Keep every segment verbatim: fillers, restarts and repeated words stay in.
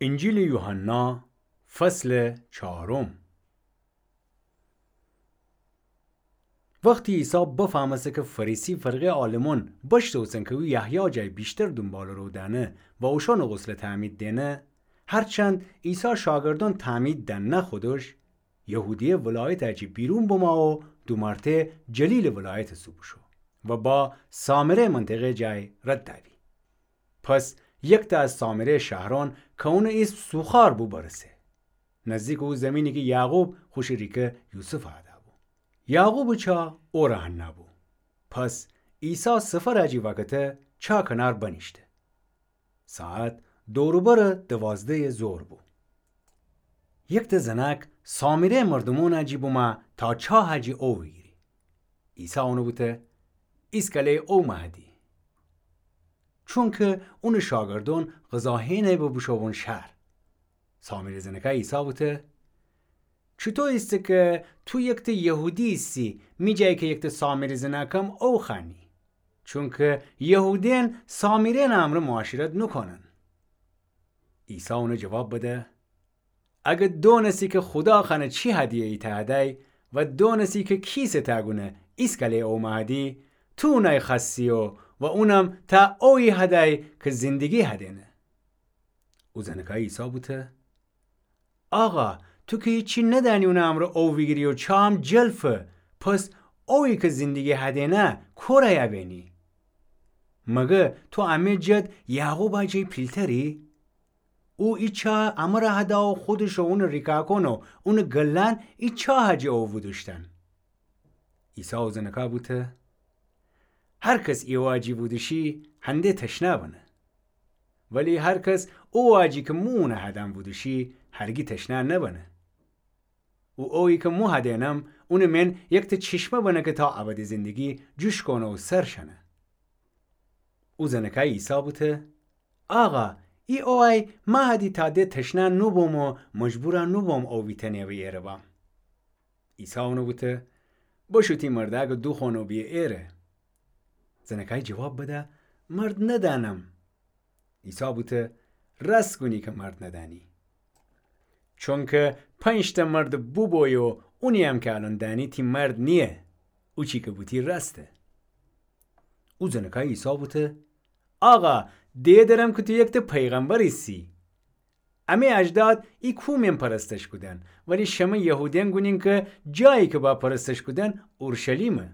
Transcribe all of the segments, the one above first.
انجیلٚ یوحنا، فصلٚ چهارم. وختی عیسی بفهمسته کی فریسی فرقه‌یٚ عالمون بشتوسن کی او یحیی جای ویشتر دونبالٚ رو دأنه و اوشأنٚ غسل تعمید دئنه، هرچند عیسی شاگردأن تعمید دأن نه خودش، یهودیه ولایتٚ جی بیرون بمو و دومرته جلیلٚ ولایتٚ سو بوشو و با سامره منطقه جای رد دأبی. پس یکته از سامره شهرأن کی اونٚ ایسم سوخار بو برسه، نزدیکٚ او زمینی کی یعقوب خوشٚ ریکه یوسف هده بو. یعقوبٚ چا اوره هنه بو. پس عیسی سفرٚ جی وکته چا کنار بنیشته. ساعت دور و برٚ دوازده‌یٚ ظهر بو. یکته زنأک سامره مردومأنٚ جی بومو تا چاهٚ جی او ویگیری. عیسی اونٚ بوته: ایسکله او مه هدی. چونکی اونٚ شاگردأن غذا هئنه به بوشوون شهر. سامره زنأکه عیسی بوته: چوطو ایسه کی تو یکته یهودی ایسی، می جای کی یکته سامره زنأکم او خوأنی؟ چونکی یهودیأن سامره‌یٚ امرأ معاشرت نوکونن. عیسی اونه جواب بده: اگر دونستی کی خودا خوأنه چی هدیه ایتأ هدی و دونستی کی کیسٚ تأ گونه ایسکله او مه هدی، تو اونأی خوأستی و اونم تأ اویی هدی کی زندگی هدینه. او زنأکه عیسی بوته: آقا، تو کی هیچی ندأنی اونٚ امرأ او ویگیری و چاهم جلفه، پس اویی کی زندگی هدینه کورأی ابینی؟ مگر تو امه جد یعقوبٚ جی پیلتری؟ او ای چاهٚ امر هده و خودش و اونٚ ریکأکون و اونٚ گلأن ای چاهٚ جی او وودوشتن. عیسی او زنأکه بوته: هر کس ای وأجی وودوشی هنده تشنه بنه. ولی هر کس او وأجی کی مو اونه هدم وودوشی هرگی تشنه نبنه. او اویی کی مو هدینم اونٚ من یکته چشمه بنه کی تا ابدی زندگی جوش کونه و سر شنه. او زنأکه عیسی بوته: آقا، ای اویی مه هدی تا ده تشنه نوبوم و مجبور نوبوم او ویتأنه و ایره بم. عیسی اونه بوته: بشو تی مردأکٚ دوخوأن و بیه ایره. زنأکه جواب بده: مرد ندأنم. عیسی بوته: رأست گونی کی مرد ندأنی. چونکی پنج‌تأ مرد بوبویی و اونییم کی الأن دأنی تی مرد نییه. اوچی کی بوتی رأسته. او زنأکه عیسی بوته: آقا، دئه درم کی تو یکته پیغمبر ایسی. امه اجداد ای کوه من پرستش کودن، ولی شمه یهودیأن گونین کی جایی کی با پرستش کودن اورشلیمه.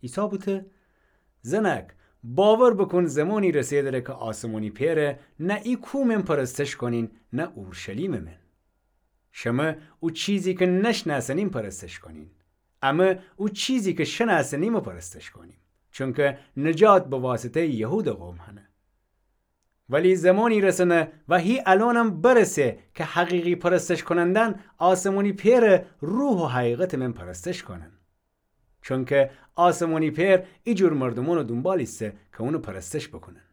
عیسی بوته: زنأک، باور بوکون زمانی رسه دره کی آسمانی پئره نه ای کوه من پرستش کونین نه اورشلیمٚ من. شمه او چیزی کی نشنأسنین پرستش کونین، امه او چیزی کی شنأسنیمٚ پرستش کونیم، چونکی نجات به واسطه‌یٚ یهودٚ قوم هنه. ولی زمانی رسنه و هی الأنم برسه کی حقیقی پرستش کونندأن آسمانی پئرٚ روح و حقیقتٚ من پرستش کونن. چونکی آسمانی پئر ایجور مردومأنٚ دونبال ایسه کی اونٚ پرستش بوکونن.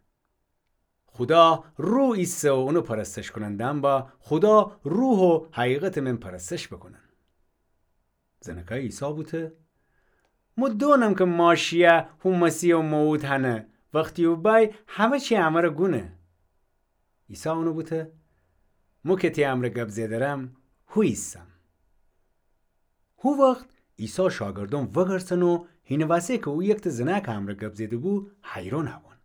خودا روح ایسه و اونٚ پرستش کونندأن با خودا روح و حقیقتٚ من پرستش بوکونن. زنأکه عیسی بوته: مو دونم کی ماشیأ هو مسیح و موعود هنه، وختی او بأی همه چی امر گونه. عیسی اونٚ بوته: مو کی تی امرأ گب زئدرم، هو ایسم. هو وخت عیسی شاگردأن وگرسن و هینٚ وسه کی او یکته زنأکٚ امرأ گب زئده‌بو، حیرأن بون.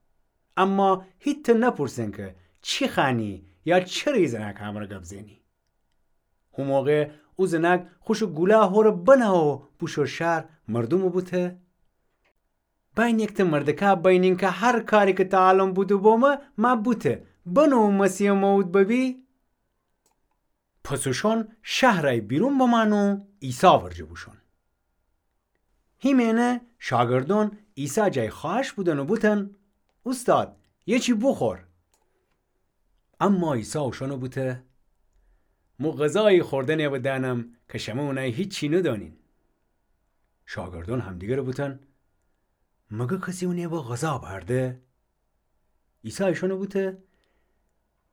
اما هیتأ نپورسن کی چی خوأنی یا چره ای زنأکٚ امرأ گب زئنی. هو موقع او زنأک خوشٚ گولا هوره بنه و بوشو شهر، مردومٚ بوته: بأین یکته مردکه بأینین کی هر کاری کی تا الأن بوده‌بومه، مه بوته. بنو او مسیحٚ موعود ببی. پس اوشأن شهرأی بیرون بمأن و عیسی ورجه بوشون. هیمه‌یأنه شاگردأن عیسی جای خوأهش بودن و بوتن: اوستاد، یه چی بوخور. اما عیسی اوشأنٚ بوته: مو غذایی خوردنٚ به دأنم کی شمه اونأی هیچی ندأنین. شاگردأن همدیگرٚ بوتن: مگر کسی اونٚ به غذا بأرده؟ عیسی ایشأنٚ بوته: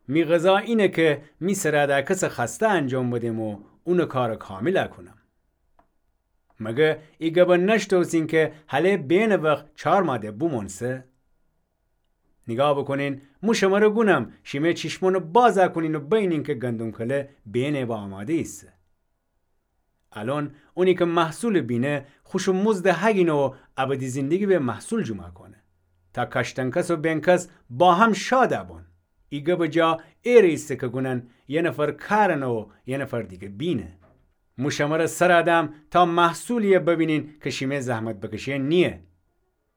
می غذا اینه کی می سرأ دأ کسٚ خوأسته انجام بدم و اونٚ کارٚ کاملأ کونم. مگر ای گبأ نشتوسین کی هله بینٚ وخت چار مأده بومؤنسه؟ نیگاه بوکونین، مو شمره گونم، شیمه چیشمانه بازَ کونین و بینین کی گندم کله بینه به آماده ایسه. الأن اونی کی محصولٚ بینه، خوشٚ مزدَ هگینه و ابدی زندگی به محصول جومَ کونه. تا کاشتن‌کس و بین‌کس با هم شادَ بون. ای گبٚ جا ایره ایسه کی گونن، یه نفر کارنه و یه نفر دیگه بینه. مو شمره سرَ دم تا محصولیَ ببینین کی شیمه زحمت بکشئن نییه.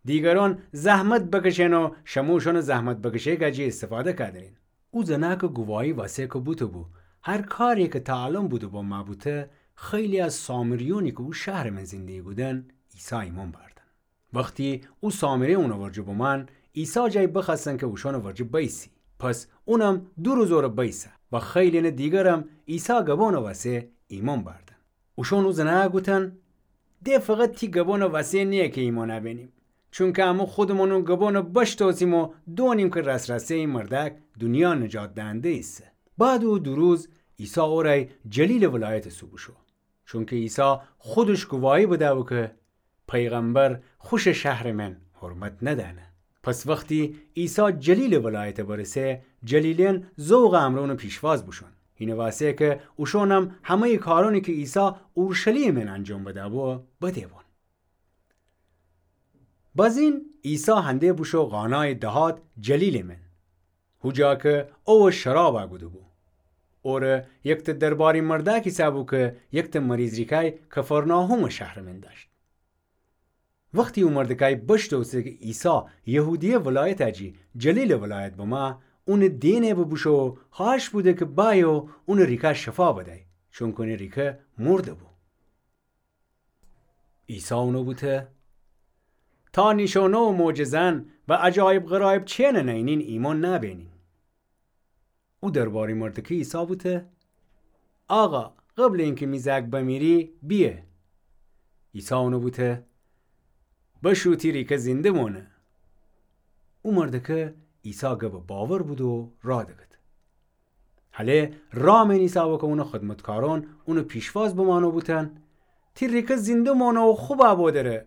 دیگرأن زحمت بکشئن و شمو اوشأنٚ زحمت بکشئیٚ جا جی استفاده کودرین. او زنأکٚ گواهی وسه کی بوته‌بو، هر کاری کی تا الأن بوده‌بو مأ بوته، خیلی از سامریأنی کی او شهرٚ من زندگی کودن، عیسی ایمأن بأردن. وختی او سامری اونٚ ورجه بمأن، عیسی جای بخوأستن کی اوشأنٚ ورجه بیسی. پس اونم دو روز اوره بیسه و خیلی‌نٚ دیگرم عیسی گبأنٚ وسه ایمأن بأردن. اوشأن او زنأکَ گوتن: ده فقط تی گبأنٚ وسه نییه کی ایمأن بأنیم، چونکی امو خودمأن او گبأنَ بشتأسیم و دأنیم کی رأس‌رأسه ای مردأک دونیا نجات دهنده ایسه. بعدٚ او دو روز عیسی اورأی جلیلٚ ولایتٚ سو بوشو. چونکی عیسی خودش گواهی بده‌بو کی پیغمبر خوشٚ شهرٚ من حرمت ندأنه. پس وختی عیسی جلیلٚ ولایت برسه، جلیلی‌یأن ذوقٚ امرأ اونٚ پیشواز بوشون. اینٚ وسه کی اوشونم همه‌یٚ کارأنی کی عیسی اورشلیمٚ من انجام بده‌بو، بده‌بون. بازین عیسی هنده بوشو قانایٚ دهات جلیلٚ من، هو جا کی اووه شرابَ گوده‌بو. اوره یکتأ درباری مردأک ایسه‌بو کی یکتأ مریض ریکای کفرناحومٚ شهرٚ من دأشت. وختی او مردکای بشتأوسه کی عیسی یهودیه ولایتٚ جی جلیلٚ ولایت بمه، اونٚ دئنه ببوشو و خوأهش بوده کی بأیه و اونٚ ریکا شفا بدأی، چونکی اونٚ ریکه مرده‌بو. عیسی اونَ بوته: تا نیشأنه و معجزه‌یأن و عجایب غرایب‌چی‌یأنَ نئینین، ایمأن نبأنین. او درباری مردکه عیسی بوته: آقا، قبلٚ اینکی می زأک بمیری، بیه. عیسی اونَ بوته: بشو، تی ریکه زنده مأنه. او مردکه عیسی گبَ باور بوده و راه دکته. هله راه من ایسه‌بو کی اونٚ خدمتکارأن اونٚ پیشواز بمأنه و بوتن: تی ریکه زنده مأنه و خوبَ بودره.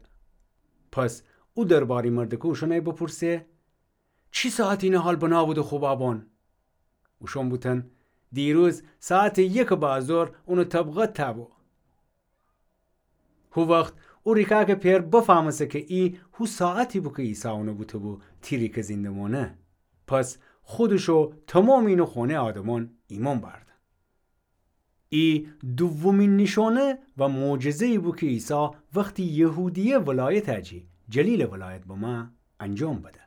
پس او درباری مردکه اوشأنأی بپرسه: چی ساعتی اینٚ حال بنا بوده خوبَ بون؟ اوشأن بوتن: دیروز ساعتٚ یکٚ بعدٚ ظهر اونٚ طبقت تأ بو. هو وخت او ریکأکٚ پئر بفهمسته کی ای هو ساعتی بو کی عیسی اونَ بوته‌بو تی ریکه زنده مأنه. پس خودش و تومامٚ اینٚ خونه آدمأن ایمأن بأردن. ای دومین نیشأنه و معجزه‌یی بو کی عیسی وختی یهودیه ولایتٚ جی جلیلٚ ولایت بمه انجام بده.